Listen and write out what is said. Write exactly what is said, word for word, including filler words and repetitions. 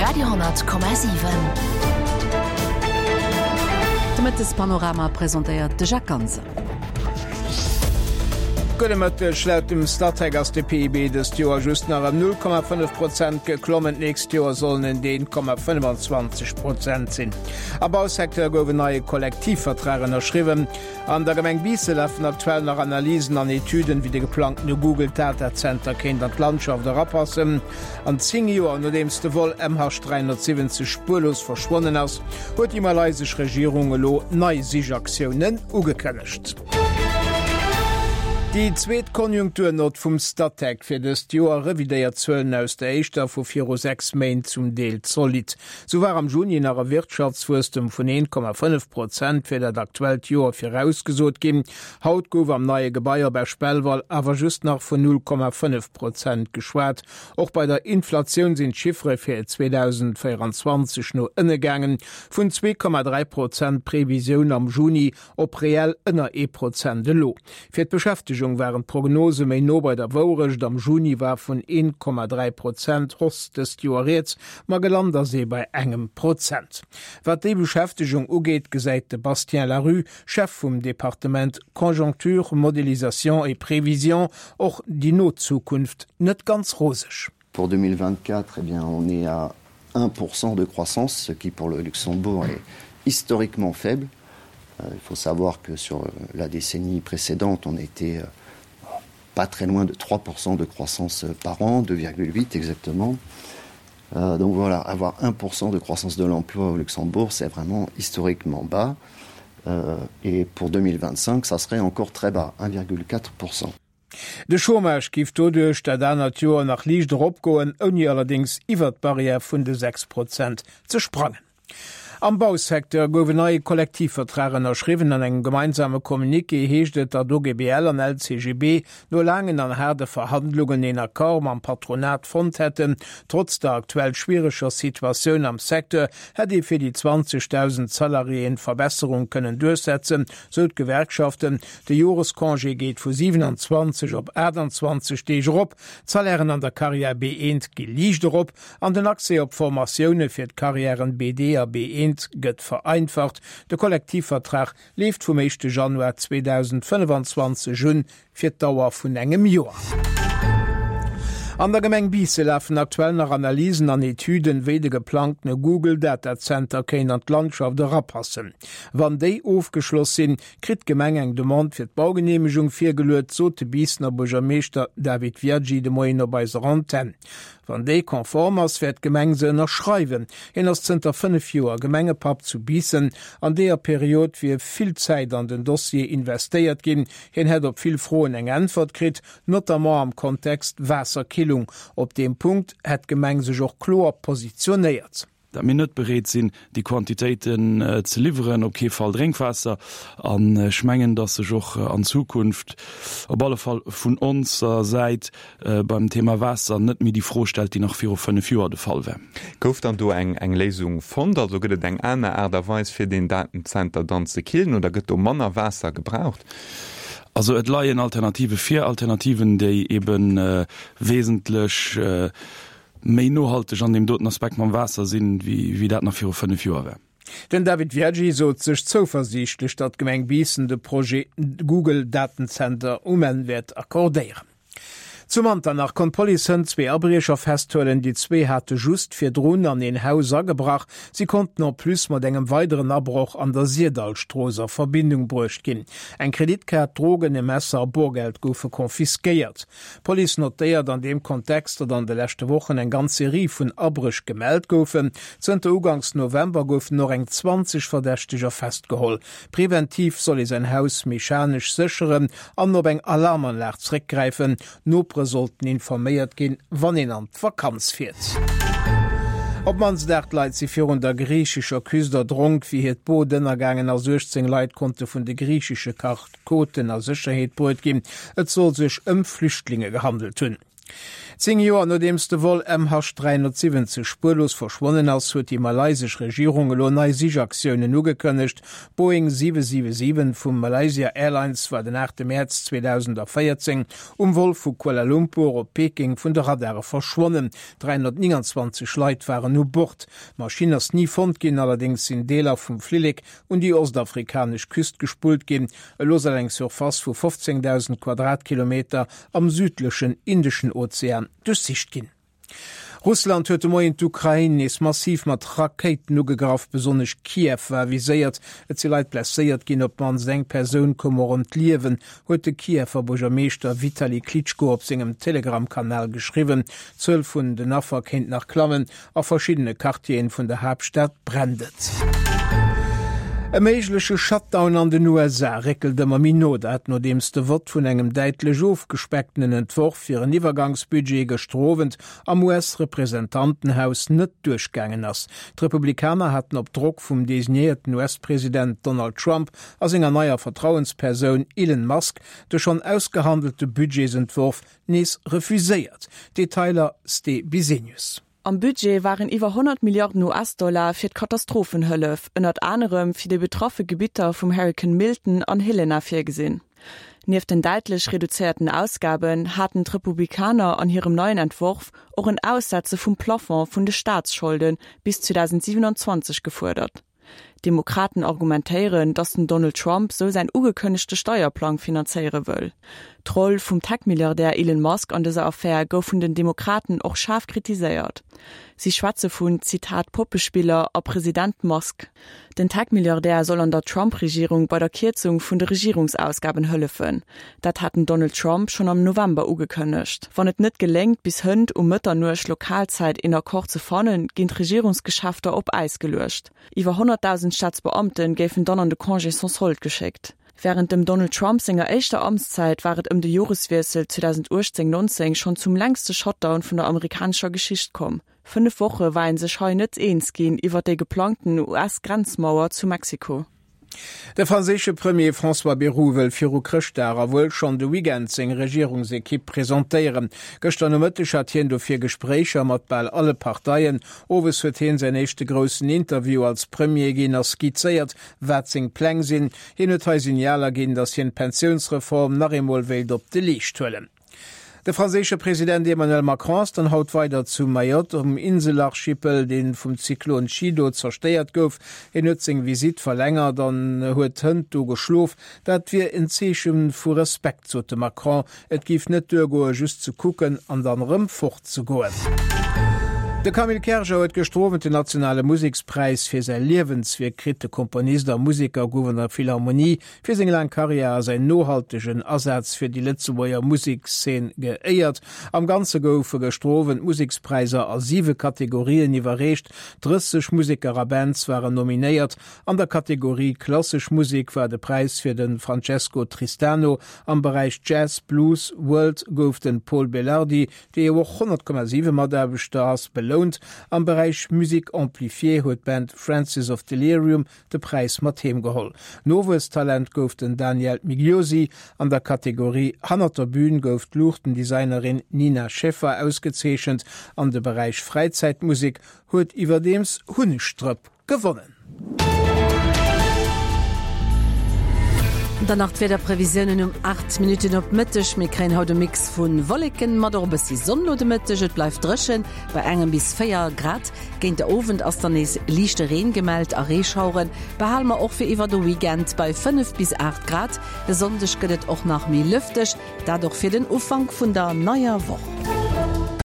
Radio honnert Komma siwen. De Mëttespanorama presentéiert de Jacques Ganser. Gudde Mëtteg, Laut dem Statec ass de P I B dëst Joer just nach ëm null Komma fënnef Prozent geklommen. D'nächst Joer sollen et een Komma fënnefenzwanzeg Prozent sinn. Am Bausecteur gouf en neie Kollektivvertrag ënnerschriwwen. An der Gemeng Biissen lafen aktuell nach Analysen an Etüden, wéi de geplangtene Google Datacenter kéint an d'Landschaft erapassen. An zéng Joer nodeems de Vol M H dräihonnertsiwwenzeg spuerlos verschwonnen ass, huet déi malaysesch Regierung elo nei Sichaktiounen ugekënnegt. Déi zweet Konjunkturnott vum Statec fir dëst Joer revidéiert d'Zuelen aus der éischter vu viru sechs Méint zum Deel zolidd. Sou war am Juni nach e Wirtschaftswuesstem vun een Komma fënnef Prozent fir dat aktuellt Joer virausgesot ginn. Haut gouf am neie Gebai op Esch-Belval awer just nach vun null Komma fënnef Prozent geschwat. Och bei der Inflatioun sinn d'Chiffere fir zweedausendvéieranzwanzeg no ënne gaangen, vun zwee Komma dräi Prozent Previsioun am Juni op reell ënner ee Prozent elo. Fir d'Beschäftegung waren d'Prognose méi no bei der Wourecht. Am Juni war vun een Komma dräi Prozent Hausse dëst Joer rieds, ma gelant ass ee bei engem Prozent. Wat déi Beschäftegung ugeet, gesäit de Bastien Larue, Chef vum Departement Conjoncture, Modélisation et Prévision, och déi no Zukunft net ganz roseg. Pour deux mille vingt-quatre, eh bien, on est à un pour cent de croissance, ce qui pour le Luxembourg est historiquement faible. Euh, il faut savoir que sur la décennie précédente, on était, euh, pas très loin de trois pour cent de croissance par an, deux virgule huit exactement. Euh, donc voilà, avoir un pour cent de croissance de l'emploi au Luxembourg, c'est vraiment historiquement bas. Euh, et pour deux mille vingt-cinq, ça serait encore très bas, un virgule quatre pour cent. De Chômage giff doduerch dat anert Joer nach liicht eropgoen, ouni allerdéngs iwwer d'Barrière vun de sechs Prozent ze sprangen. Am Bausecteur gouf en neie Kollektivvertrag ënnerschriwwen. An engem gemeinsame Communiqué heescht et, datt O G B L an L C G B no laangen an haarde Verhandlungen een Accord mam Patronat fonnt hätten. Trotz der aktuell schwiereger Situatioun am Secteur hätt ee fir déi zwanzegtausend Salariéen Verbesserung kënnen duerchsetzen, sou d'Gewerkschaften. De Jorescongé geet vu siewenundzwanzeg op aachtundzwanzeg Deeg erop. D'Salairen an der Carrière B eent gi liicht erop an den Accès op Formatioune fir d'Carrièren B D a B eent gëtt vereinfacht. De Kollektivvertrag leeft vum éischte Januar zweedausendfënnefenzwanzeg un fir d'Dauer vun engem Joer. An der Gemeng Biissen lafen aktuell nach Analysen an Etüden, wéi de geplangtene Google Datacenter kéint an d'Landschaft erapassen. Wann déi ofgeschloss sinn, kritt d'Gemeng eng Demande fir d'Baugenehmegung virgeluet, sot de Biissener Buergermeeschter David Viaggi de Moien op eiser Antenne. Wann déi konform ass, wäert d'Gemeng se ënnerschreiwen. Hien ass zënter fënnef Joer Gemengepapp zu Biissen. An deeër Period wier vill Zäit an den Dossier investéiert ginn. Hien hätt op vill Froen eng Äntwert kritt, notamment am Kontext Waasserkillung. Op deem Punkt hätt d'Gemeng sech och kloer positionéiert. Dat mir net bereet sinn, déi Quantitéiten, äh, ze liwweren, op kee Fall Drénkwaasser. An ech mengen, datt sech och, äh, an Zukunft op alle Fall vun onser Säit, äh, beim Thema Waasser net méi déi Fro stellt, déi nach viru fënnef Joer de Fall wär. Gouf dann do eng, eng Léisung fonnt? Also gëtt et eng aner Aart a Weis fir den Datenzenter dann ze killen oder gëtt do manner Waasser gebraucht? Also et leien Alternative fir Alternativen, déi eben, äh, wesentlech, äh, méi nohalteg an dem doten Aspekt mam Waasser sinn, wéi, wéi dat nach viru fënnef Joer wär. Den David Viaggi sot sech zouversiichtlech, datt d'Gemeng Biissen de Projet Google Datenzenter um Enn wäert accordéieren. Zu Manternach konnt d'Police hënt zwee Abriecher festhuelen, déi zwee hate just virdrun an een Haus agebrach. Si konnten en plus mat engem weideren Abroch an der Sirdallstrooss a Verbindung bruecht ginn. Eng Kreditkaart, Drogen, e Messer a Borgeld goufe konfiskéiert. D'Police notéiert an deem Kontext, datt an de leschte Wochen eng ganz Serie vun Abréch gemellt goufen. Zënter Ugangs November goufen noch eng zwanzeg Verdächteger festgeholl. Präventiv soll ee säin Haus mechanesch sécheren an op eng Alarmanlag zréckgräifen. Nopere sollten informéiert ginn, wann een an d'Vakanz fiert. Op mannst acht Leit si virun der griichescher Küst erdronk, wéi hiert Boot ënnergaangen ass. Uechtzéng Leit konnte vun de griichesche Kartkoten a Sécherheet bruet ginn. Et soll sech ëm Flüchtlinge gehandelt hunn. Zéng Joer nodeems de Vol M H dräihonnertsiwwenzeg spuerlos verschwonnen ass, huet déi malaysesch Regierung elo nei Sichaktiounen ugekënnegt. D'Boeing siwe siwe siwen vu Malaysia Airlines war den aachte Mäerz zweedausendvéierzéng um Vol vu Kuala Lumpur op Peking vun de Radare verschwonnen. dräihonnertnénganzwanzeg Leit waren u Bord. D'Maschinn ass ni fonnt ginn, allerdéngs sinn Deeler vum Flillek un déi ostafrikanesch Küst gespullt ginn. Elo soll eng Surface vu fofzéngdausend Quadratkilometer am südlechen Indeschen Ozean duerchsicht ginn. Russland huet de Moien d'Ukrain nees massiv mat Rakéiten ugegraff. Besonnesch Kiew war viséiert. Et si Leit blesséiert ginn, op d'mannst eng Persoun koum och ëm d'Liewen, huet de Kiewer Buergermeeschter Vitali Klitschko op sengem Telegram-Kanal geschriwwen. D'Zuel vun den Affer kéint nach klammen. A verschiddene Quartieren vun der Haaptstad brennt et. E méigleche Shutdown an den U S A réckelt ëmmer méi no, dat nodeems de Vott vun engem däitlech ofgespecktenen Entworf fir en Iwwergangsbudget gëschter Owend am U S-Representantenhaus net duerchgaangen ass. D'Republikaner haten op Drock vum designéierten U S-President Donald Trump a senger neier Vertrauenspersoun Elon Musk de schonn ausgehandelte Budgetsentworf nees refuséiert. Detailer Ste Bisenius. Am Budget waren iwwer honnert Milliarden U S-Dollar fir d'Katastrophenhëllef, ënnert anerem fir déi betraffe Gebitter vum Hurrikan Milton an Helena virgesinn. Nieft den däitlech reduzéierten Ausgaben haten d'Republikaner an hirem neien Entworf och en Aussetze vum Plafond vun de Staatsscholde bis zweedausendsiewenundzwanzeg gefuerdert. D'Demokraten argumentéieren, datt den Donald Trump sou säin ugekënnegte Steierplang finanzéiere wëll. D'Roll vum Tech-Milliardär Elon Musk an dëser Affär gouf vun den Demokraten och schaarf kritiséiert. Si schwätze vun, Zitat, Poppespiller a President Musk. Den Tech-Milliardär soll an der Trump-Regierung bei der Kierzung vun de Regierungsausgaben hëllefen. Dat hat den Donald Trump schonn am November ugekënnegt. Wann et net geléngt, bis hënt um Mëtternuecht Lokalzäit een Accord ze fannen, ginn d'Regierungsgeschäfter op Äis geluecht. Iwwer honnertdausend Staatsbeamten géifen dann an de Congé sans solde geschéckt. Während dem Donald Trump senger éischter Amtszäit war et ëm de Joreswiessel zweedausenduechtzéng nonzéng schonn zum längste Shutdown vun der amerikanescher Geschicht komm. Fënnef Woche war een sech hei net eens ginn iwwer déi geplangten U S-Grenzmauer zu Mexiko. De franséische Premier François Bayrou wëll viru Chrëschtdag a wuel schonn de Weekend seng Regierungsekipp presentéieren. Gëschter Nomëtteg hat hien dofir Gespréicher mat bal alle Parteien. Owes huet hien säin éischte groussen Interview als Premier ginn a skizzéiert, wat seng Pläng sinn. Hien huet hei Signaler ginn, datt hien d'Pensiounsreform nach eemol wéilt op de Leescht huelen. De franséische President Emmanuel Macron ass dann haut weider zu Mayotte um Inselarchipel, dee vum Zyklon Chido zerstéiert gouf. Hien huet seng Visitt verlängert an huet hënt do geschlof. Dat wier en Zeeche vu Respekt, sot de Macron. Et géif net duergoen, just ze kucken an dann erëm fortzegoen. De Camille Kerger huet gëschter Owend den nationale Musekspräis fir säi Liewenswierk kritt. De Komponist a Museker gouf an der Philharmonie fir seng laang Karriär a säin nohaltegen Asaz fir déi Lëtzebuerger Musekszeen geéiert. Am Ganze goufe gëschter Owend d'Musekspräisser a siwe Kategorien iwwerreecht. Drësseg Museker a Bands waren nominéiert. An der Kategorie Klassesch Musek war de Präis fir de Francesco Tristano. Am Beräich Jazz, Blues, World gouf de Pol Belardi, dee jo och honnert Komma siwe Mataarbechter ass, belount. Am Beräich Musique amplifiée huet d'Band Francis of Delirium de Präis mat heem geholl. Nowuesstalent gouf den Daniel Migliosi. An der Kategorie Hannert der Bühn gouf d'Luuchtendesignerin Nina Schäffer ausgezeechent. An de Beräich Fräizäitmusek huet iwwerdeems Hunnegstrëpp gewonnen. Dann nach d'Wiederprevisiounen um aacht Minutten op Mëtteg. Mir kréien haut e Mix vu Wolleken mat och e bëssi Sonn no de Mëtteg. Et bleift dréchen bei engem bis véier Grad. Géint de Owend ass dann nees liichte Reen gemellt a Reeschaueren. Behale mer och fir iwwer de Weekend bei fënnef bis aacht Grad. De Sonndeg gëtt et och nach méi lëfteg, dat och fir den Ufank vun der neier Woch.